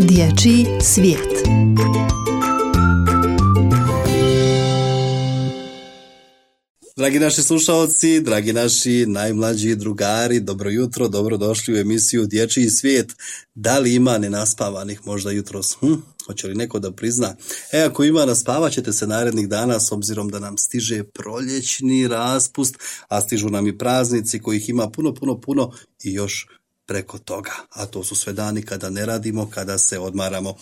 Dječji svijet. Dragi naši slušalci, dragi naši najmlađi drugari, dobro jutro, dobrodošli u emisiju Dječji svijet. Da li ima nenaspavanih možda jutros? Hoće li neko da prizna? Ako ima, naspavat ćete se narednih dana s obzirom da nam stiže proljećni raspust, a stižu nam i praznici kojih ima puno i još preko toga. A to su sve dani kada ne radimo, kada se odmaramo.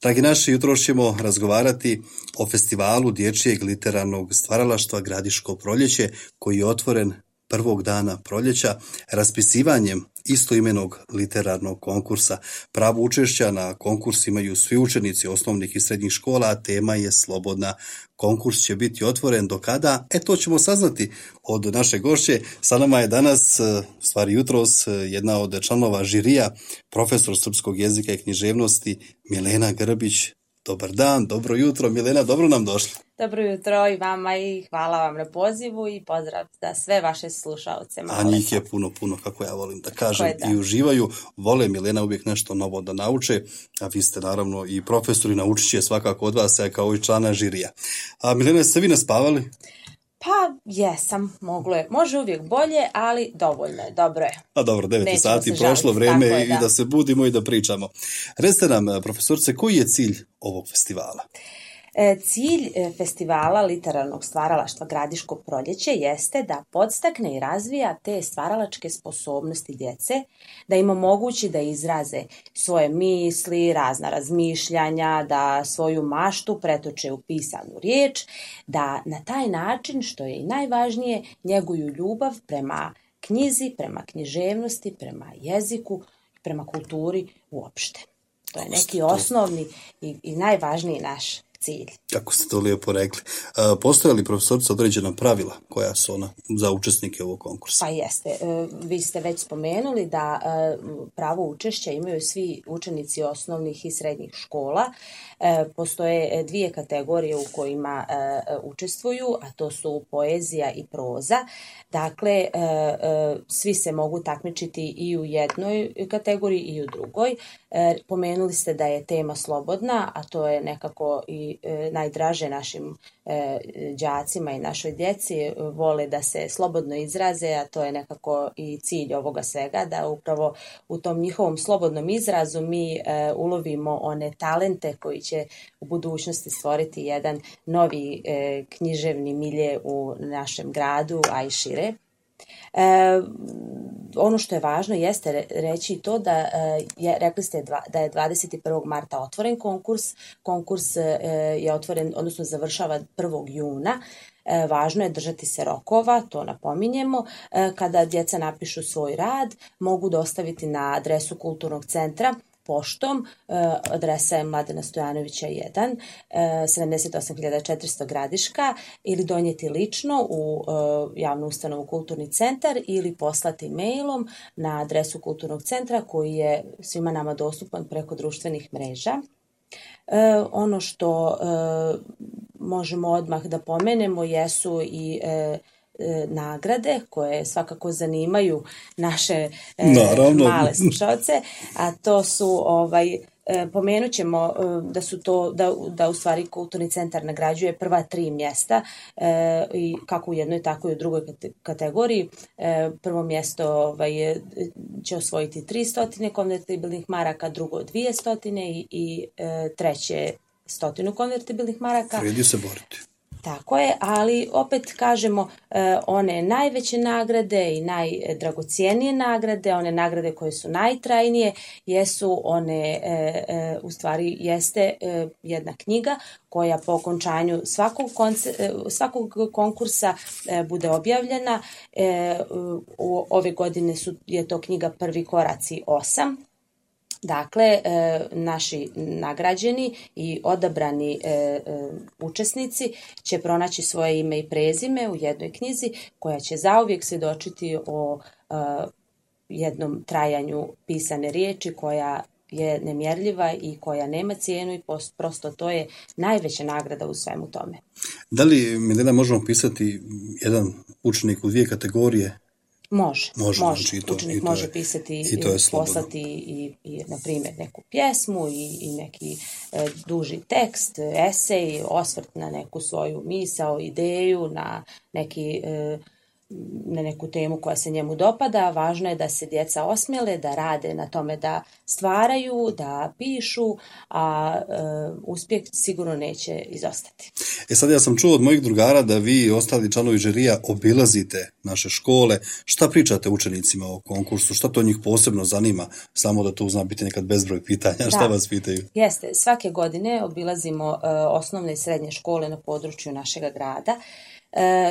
Dragi naši, jutros ćemo razgovarati o festivalu dječjeg literarnog stvaralaštva Gradiško proljeće, koji je otvoren prvog dana proljeća raspisivanjem istoimenog literarnog konkursa. Pravo učešća na konkurs imaju svi učenici osnovnih i srednjih škola, a tema je slobodna. Konkurs će biti otvoren do kada? To ćemo saznati od naše gošće. Sa nama je danas, stvari jutros, jedna od članova žirija, profesor srpskog jezika i književnosti Milena Grbić. Dobar dan, dobro jutro. Milena, dobro nam došli. Dobro jutro i vama i hvala vam na pozivu i pozdrav za sve vaše slušaoce. A njih je puno, kako ja volim da kažem, i uživaju. Vole, Milena, uvijek nešto novo da nauče, a vi ste naravno i profesori, naučit će svakako od vas, kao i člana žirija. A Milena, ste vi naspavali? Pa jesam, može uvijek bolje, ali dovoljno je, dobro je. A dobro, 9 sati, prošlo vrijeme i da se budimo i da pričamo. Recite nam, profesorice, koji je cilj ovog festivala? Cilj festivala literarnog stvaralaštva Gradiško proljeće jeste da podstakne i razvija te stvaralačke sposobnosti djece, da im omogući da izraze svoje misli, razna razmišljanja, da svoju maštu pretoče u pisanu riječ, da na taj način, što je i najvažnije, njeguju ljubav prema knjizi, prema književnosti, prema jeziku, prema kulturi uopšte. To je neki osnovni i najvažniji naš cilj. Kako ste to lijepo rekli. Postoje li, profesorica, određena pravila koja su ona za učesnike ovog konkursa? Pa jeste. Vi ste već spomenuli da pravo učešća imaju svi učenici osnovnih i srednjih škola. Postoje dvije kategorije u kojima učestvuju, a to su poezija i proza. Dakle, svi se mogu takmičiti i u jednoj kategoriji i u drugoj. Pomenuli ste da je tema slobodna, a to je nekako i najdraže našim đacima i našoj djeci, vole da se slobodno izraze, a to je nekako i cilj ovoga svega, da upravo u tom njihovom slobodnom izrazu mi ulovimo one talente koji će u budućnosti stvoriti jedan novi književni milje u našem gradu, a i šire. Ono što je važno jeste reći to da rekli ste da je 21. marta otvoren konkurs. Konkurs je otvoren, odnosno završava 1. juna. Važno je držati se rokova, to napominjemo. Kada djeca napišu svoj rad, mogu dostaviti na adresu Kulturnog centra poštom, adresa je Mladena Stojanovića 1, 78.400 Gradiška, ili donijeti lično u javnu ustanovu Kulturni centar ili poslati mailom na adresu Kulturnog centra koji je svima nama dostupan preko društvenih mreža. Ono što možemo odmah da pomenemo jesu i nagrade koje svakako zanimaju naše male slušalce, a to su pomenut ćemo da su to da u stvari Kulturni centar nagrađuje prva 3 mjesta i kako u jednoj tako i u drugoj kategoriji. Prvo mjesto će osvojiti 300 konvertibilnih maraka, drugo 200 i treće 100 konvertibilnih maraka. Vredi se boriti. Tako je, ali opet kažemo one najveće nagrade i najdragocijenije nagrade, one nagrade koje su najtrajnije, jesu one, u stvari jeste jedna knjiga koja po okončanju svakog konkursa bude objavljena. Ove godine je to knjiga Prvi koraci 8. Dakle, naši nagrađeni i odabrani učesnici će pronaći svoje ime i prezime u jednoj knjizi koja će zauvijek svjedočiti o jednom trajanju pisane riječi koja je nemjerljiva i koja nema cijenu i prosto to je najveća nagrada u svemu tome. Da li, Milena, možemo pisati jedan učenik u 2 kategorije? Može. Znači Učenik može pisati i to je poslati i na primjer neku pjesmu i neki duži tekst, esej, osvrt na neku svoju misao, ideju, na neku temu koja se njemu dopada. Važno je da se djeca osmjele, da rade na tome, da stvaraju, da pišu, a uspjeh sigurno neće izostati. Sad ja sam čuo od mojih drugara da vi i ostali članovi žirija obilazite naše škole. Šta pričate učenicima o konkursu? Šta to njih posebno zanima? Samo da tu zna biti nekad bezbroj pitanja. Šta vas pitaju? Jeste, svake godine obilazimo osnovne i srednje škole na području našega grada.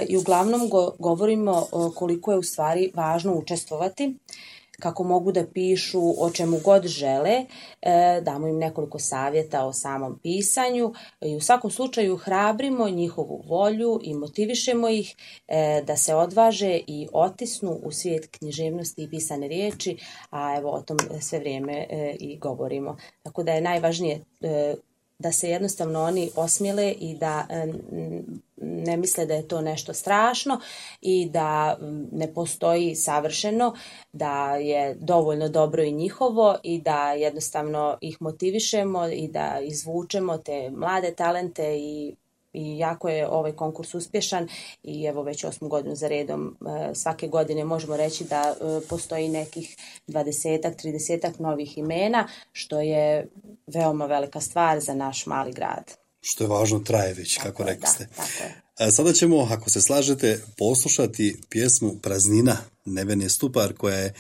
I uglavnom govorimo koliko je u stvari važno učestvovati, kako mogu da pišu o čemu god žele, damo im nekoliko savjeta o samom pisanju i u svakom slučaju hrabrimo njihovu volju i motivišemo ih da se odvaže i otisnu u svijet književnosti i pisane riječi, a evo o tom sve vrijeme i govorimo. Tako da je najvažnije da se jednostavno oni osmjele i da ne misle da je to nešto strašno i da ne postoji savršeno, da je dovoljno dobro i njihovo i da jednostavno ih motivišemo i da izvučemo te mlade talente i jako je ovaj konkurs uspješan i evo već 8. godinu za redom svake godine možemo reći da postoji nekih 20-30 novih imena, što je veoma velika stvar za naš mali grad. Što je važno, traje već, kako rekli ste. Sada ćemo, ako se slažete, poslušati pjesmu Praznina Nevene Stupar, koja je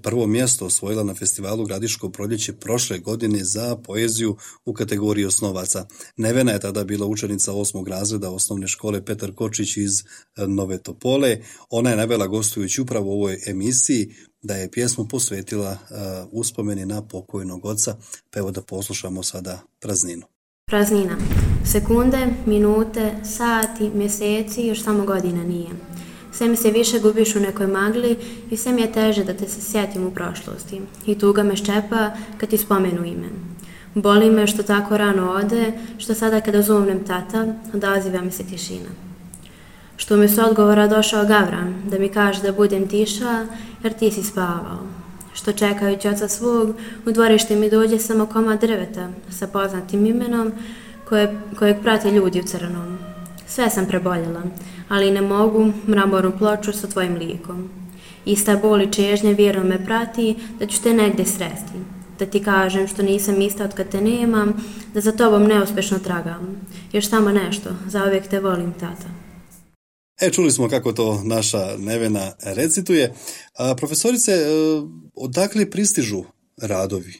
prvo mjesto osvojila na festivalu Gradiško proljeće prošle godine za poeziju u kategoriji osnovaca. Nevena je tada bila učenica 8. razreda osnovne škole Petar Kočić iz Nove Topole. Ona je navela, gostujući upravo u ovoj emisiji, da je pjesmu posvetila uspomeni na pokojnog oca, pa evo da poslušamo sada Prazninu. Praznina. Sekunde, minute, sati, mjeseci, još samo godina nije. Sve mi se više gubiš u nekoj magli i sve mi je teže da te se sjetim u prošlosti. I tuga me ščepa kad ti spomenu ime. Boli me što tako rano ode, što sada kada zovnem tata, odaziva mi se tišina. Što mi s odgovora došao Gavran, da mi kaže da budem tiša, jer ti si spavao. Što čekajući oca svog, u dvorište mi dođe samo komad drveta sa poznatim imenom kojeg prate ljudi u crnom. Sve sam preboljela, ali ne mogu mramornu ploču sa tvojim likom. Ista bol i čežnja vjerno me prati da ću te negdje sresti. Da ti kažem što nisam ista od kad te nemam, da za tobom neuspješno tragam. Još samo nešto, zauvijek te volim, tata. Čuli smo kako to naša Nevena recituje. Profesorice, odakle pristižu radovi?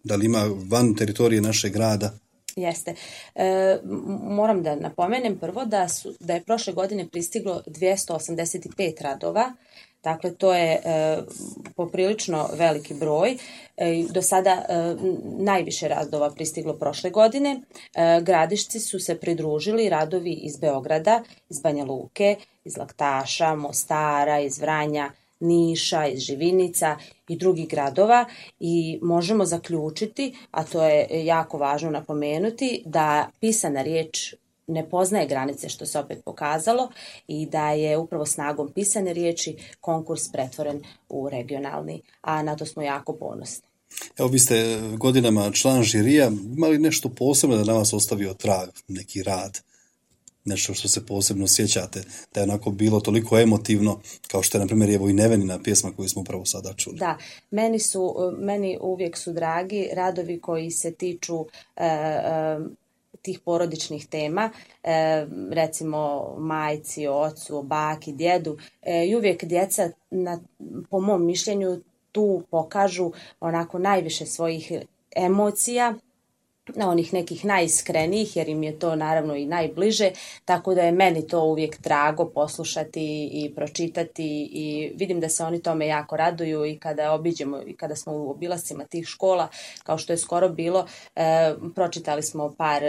Da li ima van teritorije našeg grada? Jeste. Moram da napomenem prvo da je prošle godine pristiglo 285 radova. Dakle, to je poprilično veliki broj. Do sada najviše radova pristiglo prošle godine. Gradišci su se pridružili radovi iz Beograda, iz Banja Luke, iz Laktaša, Mostara, iz Vranja, Niša, iz Živinica i drugih gradova i možemo zaključiti, a to je jako važno napomenuti, da pisana riječ ne poznaje granice, što se opet pokazalo, i da je upravo snagom pisane riječi konkurs pretvoren u regionalni, a na to smo jako ponosni. Evo, vi ste godinama član žirija, imali nešto posebno da na vas ostavio trag, neki rad, nešto što se posebno sjećate, da je onako bilo toliko emotivno, kao što je, na primjer, evo i Nevenina pjesma koju smo upravo sada čuli. Da, meni uvijek su dragi radovi koji se tiču tih porodičnih tema, recimo majci, ocu, baki, djedu, i uvijek djeca, po mom mišljenju, tu pokažu onako najviše svojih emocija, onih nekih najiskrenijih, jer im je to naravno i najbliže, tako da je meni to uvijek drago poslušati i pročitati i vidim da se oni tome jako raduju i kada obiđemo i kada smo u obilascima tih škola, kao što je skoro bilo, pročitali smo par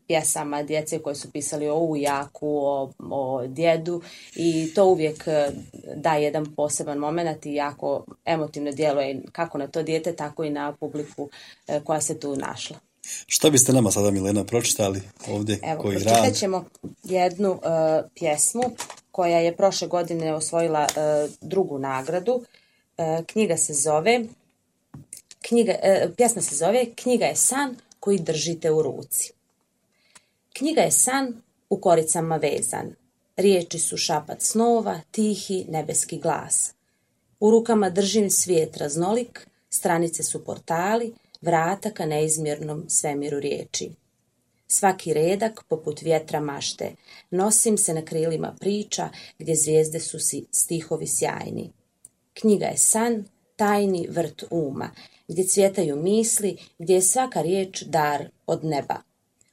pjesama djece koje su pisali o ujaku, o djedu i to uvijek daje jedan poseban moment i jako emotivno djeluje kako na to dijete, tako i na publiku koja se tu našla. Šta biste nama sada, Milena, pročitali ovdje? Evo, koji pročitat rad? ćemo jednu pjesmu koja je prošle godine osvojila drugu nagradu. Pjesma se zove Knjiga je san koji držite u ruci. Knjiga je san u koricama vezan. Riječi su šapat snova, tihi nebeski glas. U rukama držim svijet raznolik, stranice su portali, vrata ka neizmjernom svemiru riječi. Svaki redak poput vjetra mašte, nosim se na krilima priča gdje zvijezde su stihovi sjajni. Knjiga je san, tajni vrt uma, gdje cvjetaju misli, gdje je svaka riječ dar od neba.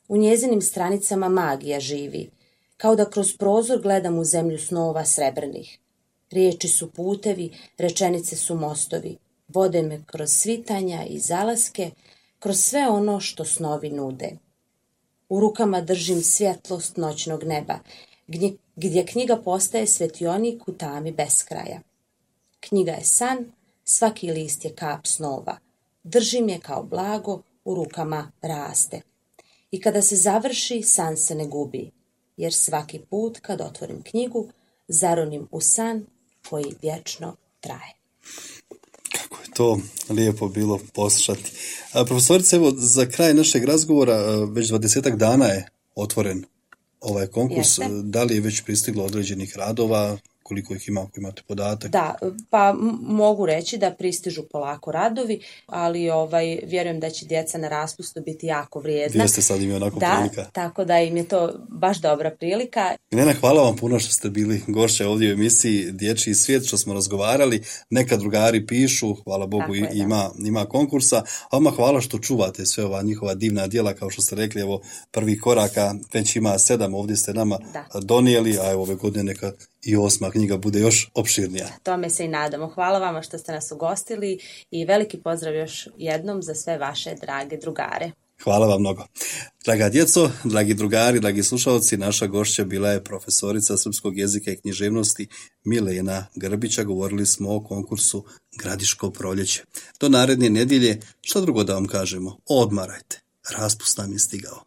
U njezinim stranicama magija živi, kao da kroz prozor gledam u zemlju snova srebrnih. Riječi su putevi, rečenice su mostovi, vode me kroz svitanja i zalaske, kroz sve ono što snovi nude. U rukama držim svjetlost noćnog neba, gdje knjiga postaje svetionik u tami beskraja. Knjiga je san, svaki list je kap snova, držim je kao blago, u rukama raste. I kada se završi, san se ne gubi, jer svaki put kad otvorim knjigu, zaronim u san koji vječno traje. Kako je to lijepo bilo poslušati. Profesorice, evo za kraj našeg razgovora, već 20 dana je otvoren ovaj konkurs. Jeste. Da li je već pristiglo određenih radova? Koliko ih ima, ako imate podatak? Da, pa mogu reći da pristižu polako radovi, ali vjerujem da će djeca na raspustu biti jako vrijedna. Jeste, sad im je onako prilika. Da, tako da im je to baš dobra prilika. Milena, hvala vam puno što ste bili gošća ovdje u emisiji Dječji svijet, što smo razgovarali. Neka drugari pišu, hvala Bogu ima konkursa, a vama hvala što čuvate sve ova njihova divna djela, kao što ste rekli, evo prvih koraka, već ima 7, ovdje ste nama donijeli, a evo ove godine neka i 8. knjiga bude još opširnija. Tome se i nadamo. Hvala vama što ste nas ugostili i veliki pozdrav još jednom za sve vaše drage drugare. Hvala vam mnogo. Draga djeco, dragi drugari, dragi slušalci, naša gošća bila je profesorica srpskog jezika i književnosti Milena Grbića. Govorili smo o konkursu Gradiško proljeće. Do naredne nedjelje, što drugo da vam kažemo, odmarajte, raspust nam je stigao.